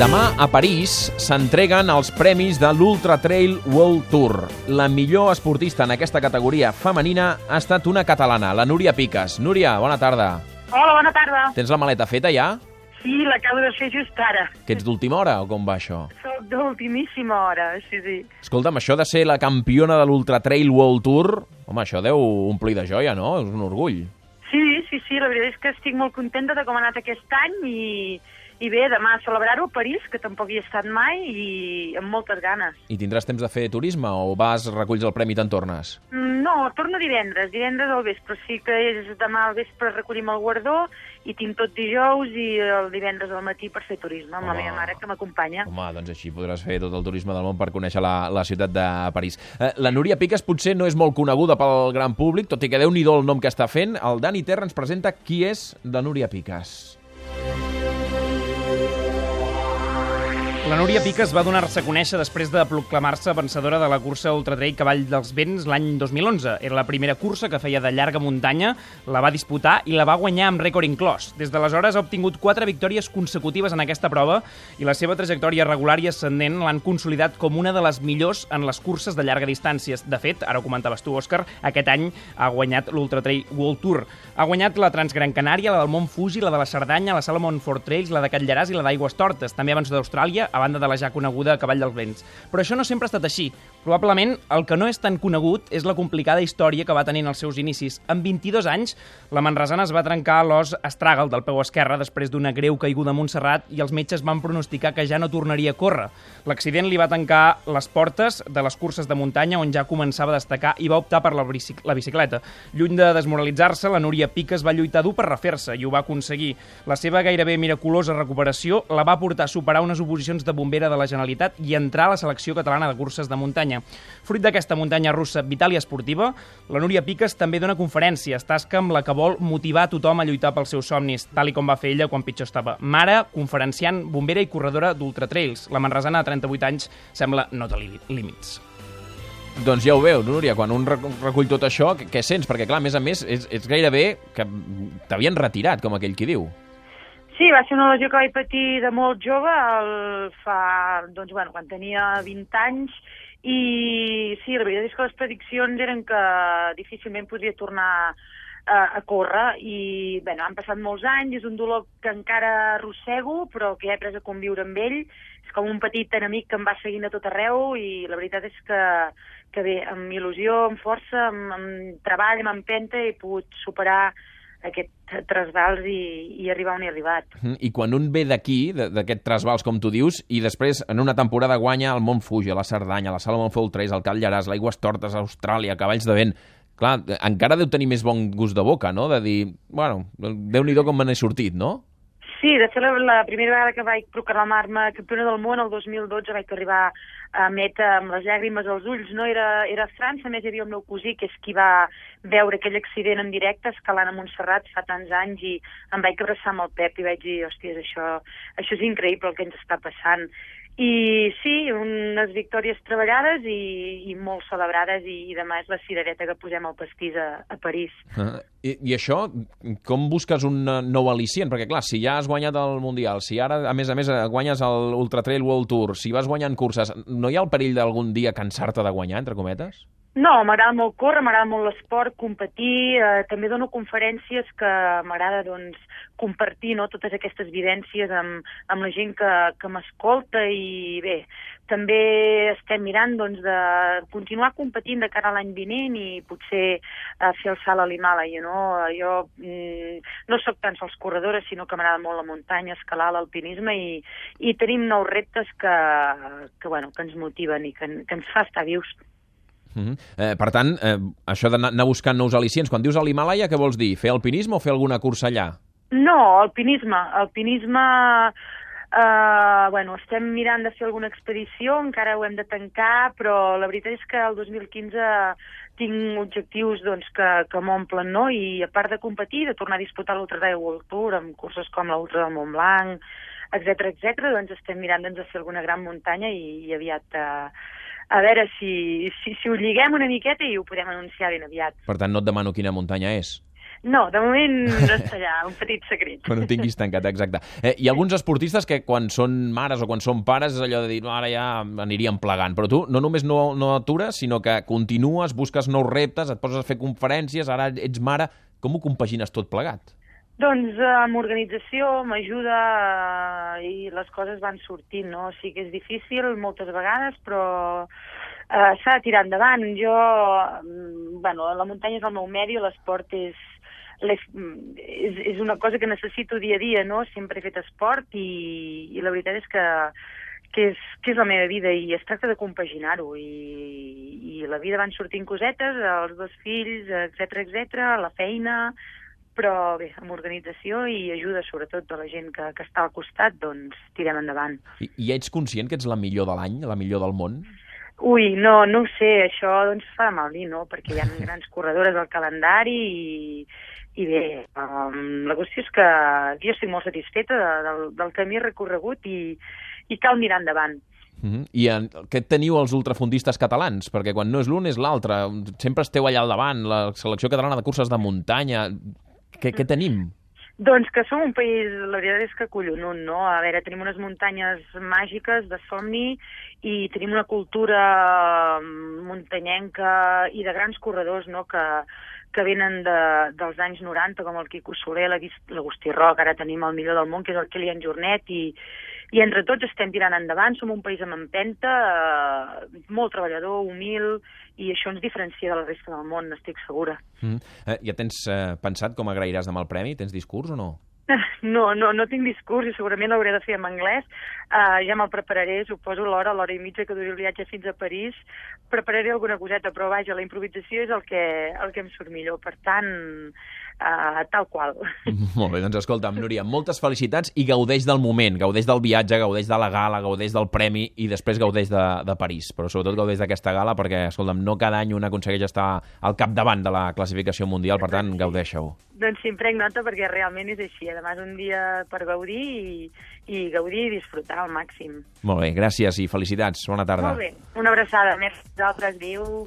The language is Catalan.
Demà a París s'entreguen els premis de l'Ultra Trail World Tour. La millor esportista en aquesta categoria femenina ha estat una catalana, la Núria Piques. Núria, bona tarda. Hola, bona tarda. Tens la maleta feta ja? Sí, l'acabo de fer just ara. Que ets d'última hora o com va això? Soc d'ultimíssima hora, sí. Escolta'm, això de ser la campiona de l'Ultra Trail World Tour, home, això deu omplir de joia, no? És un orgull. Sí, la veritat és que estic molt contenta de com ha anat aquest any i bé, demà celebrar-ho a París, que tampoc hi he estat mai, i amb moltes ganes. I tindràs temps de fer turisme o vas, reculls el premi i te'n tornes? No, torno divendres al vespre. Sí que és demà al vespre recollim el guardó i tinc tot dijous i el divendres al matí per fer turisme amb la meva mare, que m'acompanya. Home, doncs així podràs fer tot el turisme del món per conèixer la ciutat de París. La Núria Piques potser no és molt coneguda pel gran públic, tot i que Déu-n'hi-do el nom que està fent. El Dani Terra ens presenta qui és la Núria Piques. La Núria Piques va donar-se a conèixer després de proclamar-se vencedora de la cursa Ultra Trail Cavall dels Vents l'any 2011. Era la primera cursa que feia de llarga muntanya, la va disputar i la va guanyar amb rècord inclòs. Des d'aleshores ha obtingut 4 victòries consecutives en aquesta prova i la seva trajectòria regular i ascendent l'han consolidat com una de les millors en les curses de llarga distància. De fet, ara ho comentaves tu, Òscar, aquest any ha guanyat l'Ultra Trail World Tour. Ha guanyat la Transgran Canària, la del Mont Fuji, la de la Cerdanya, la Salomon Ford Trails, la de Catllaràs i la d'Aigües Tortes. També abans d'Austràlia, a banda de la ja coneguda Cavall dels Vents. Però això no sempre ha estat així. Probablement el que no és tan conegut és la complicada història que va tenir en els seus inicis. Amb 22 anys, la manresana es va trencar l'os astràgal del peu esquerre després d'una greu caiguda a Montserrat i els metges van pronosticar que ja no tornaria a córrer. L'accident li va tancar les portes de les curses de muntanya on ja començava a destacar i va optar per la bicicleta. Lluny de desmoralitzar-se, la Núria Piques va lluitar dur per refer-se i ho va aconseguir. La seva gairebé miraculosa recuperació la va portar a superar unes oposicions de bombera de la Generalitat i entrar a la selecció catalana de curses de muntanya. Fruit d'aquesta muntanya russa vital i esportiva, la Núria Piques també dona conferències, tasca amb la que vol motivar a tothom a lluitar pels seus somnis, tal i com va fer ella quan pitjor estava. Mare, conferenciant, bombera i corredora d'ultratrails. La manresana de 38 anys sembla no tenir límits. Doncs ja ho veu, Núria, quan un recull tot això, què sents? Perquè, clar, a més, és gairebé que t'havien retirat, com aquell qui diu. Sí, va ser una lesió que vaig patir de molt jove, quan tenia 20 anys, i sí, la veritat és que les prediccions eren que difícilment podria tornar a córrer, i han passat molts anys, és un dolor que encara arrossego, però que ja he après a conviure amb ell. És com un petit enemic que em va seguint a tot arreu, i la veritat és que bé, amb il·lusió, amb força, amb treball, amb empenta, he pogut superar aquest trasbals i arribar on he arribat. I quan un ve d'aquí, d'aquest trasbals, com tu dius, i després en una temporada guanya el Mont Fuji, la Cerdanya, la Salomon Ford Trails, el Catllaràs, l'Aigües Tortes, Austràlia, Cavalls de Vent... Clar, encara deu tenir més bon gust de boca, no?, de dir, Déu-n'hi-do com me n'he sortit, no? Sí, de fet, la primera vegada que vaig proclamar-me campiona del món, el 2012, vaig arribar a meta amb les llàgrimes als ulls, no? Era a França, a més hi havia el meu cosí, que és qui va veure aquell accident en directe escalant a Montserrat fa tants anys, i em vaig abraçar amb el Pep i vaig dir, hòsties, això és increïble el que ens està passant. I sí, unes victòries treballades i molt celebrades, i demà és la cirereta que posem al pastís a París. I això, com busques un nou al·licient? Perquè clar, si ja has guanyat el Mundial, si ara a més guanyes l'Ultra Trail World Tour, si vas guanyant curses, no hi ha el perill d'algun dia cansar-te de guanyar, entre cometes? No, m'agrada molt córrer, m'agrada molt l'esport, competir, també dono conferències que m'agrada compartir, no, totes aquestes vivències amb la gent que m'escolta, i bé, també estem mirant de continuar competint de cara a l'any vinent i potser fer el salt a l'Himàlaia, no? Jo no sóc tan sols corredora, sinó que m'agrada molt la muntanya, escalar, l'alpinisme, i tenim nous reptes que ens motiven i que ens fa estar vius. Per tant, això d'anar buscant nous al·licients, quan dius a l'Himàlaia, què vols dir? Fer alpinisme o fer alguna cursa allà? No, alpinisme. Estem mirant de fer alguna expedició, encara ho hem de tancar, però la veritat és que el 2015 tinc objectius que m'omplen, no? I a part de competir, de tornar a disputar l'Ultra Trail World Tour amb curses com l'Ultra del Mont Blanc, etc., doncs estem mirant de fer alguna gran muntanya i aviat... A veure si ho lliguem una miqueta i ho podem anunciar ben aviat. Per tant, no et demano quina muntanya és. No, de moment no està allà, un petit secret. Quan ho tinguis tancat, exacte. Hi ha alguns esportistes que quan són mares o quan són pares és allò de dir, no, ara ja aniríem plegant, però tu no només no atures, sinó que continues, busques nous reptes, et poses a fer conferències, ara ets mare, com ho compagines tot plegat? Doncs amb organització m'ajuda i les coses van sortint, no? Sí que és difícil moltes vegades, però s'ha de tirar endavant. La muntanya és el meu medi, l'esport és una cosa que necessito dia a dia, no? Sempre he fet esport i la veritat és que és la meva vida i es tracta de compaginar-ho i la vida van sortint cosetes, els 2 fills, etc, la feina, però bé, amb organització i ajuda sobretot de la gent que està al costat, doncs tirem endavant. I ets conscient que ets la millor de l'any, la millor del món? Ui, no ho sé, això doncs fa mal dir, no? Perquè hi ha grans corredores al calendari i bé, la qüestió és que jo estic molt satisfeta del camí recorregut i cal mirar endavant. I què teniu els ultrafondistes catalans? Perquè quan no és l'un és l'altre. Sempre esteu allà al davant, la selecció catalana de curses de muntanya. Què tenim? Doncs que som un país, la veritat és que collonut, no? A veure, tenim unes muntanyes màgiques de somni i tenim una cultura muntanyenca i de grans corredors, no?, que venen dels anys 90, com el Quico Soler, l'Agustí Roc, ara tenim el millor del món, que és el Kilian Jornet, i entre tots estem tirant endavant, som un país amb empenta, molt treballador, humil, i això ens diferencia de la resta del món, estic segura. Ja tens pensat com agrairàs demà el premi? Tens discurs o no? No tinc discurs i segurament l'hauré de fer en anglès. Ja me'l prepararé, suposo l'hora i mitja que duri el viatge fins a París. Prepararé alguna coseta, però vaja, la improvisació és el que em surt millor. Per tant, tal qual. Molt bé, doncs escolta'm, Núria, moltes felicitats i gaudeix del moment, gaudeix del viatge, gaudeix de la gala, gaudeix del premi i després gaudeix de París, però sobretot gaudeix d'aquesta gala perquè, escolta'm, no cada any un aconsegueix estar al capdavant de la classificació mundial, per tant, gaudeix-ho. Doncs sí, em prenc nota perquè realment és així. Además, un dia per gaudir i gaudir i disfrutar al màxim. Molt bé, gràcies i felicitats. Bona tarda. Molt bé, una abraçada. Merci a vosaltres. Adéu.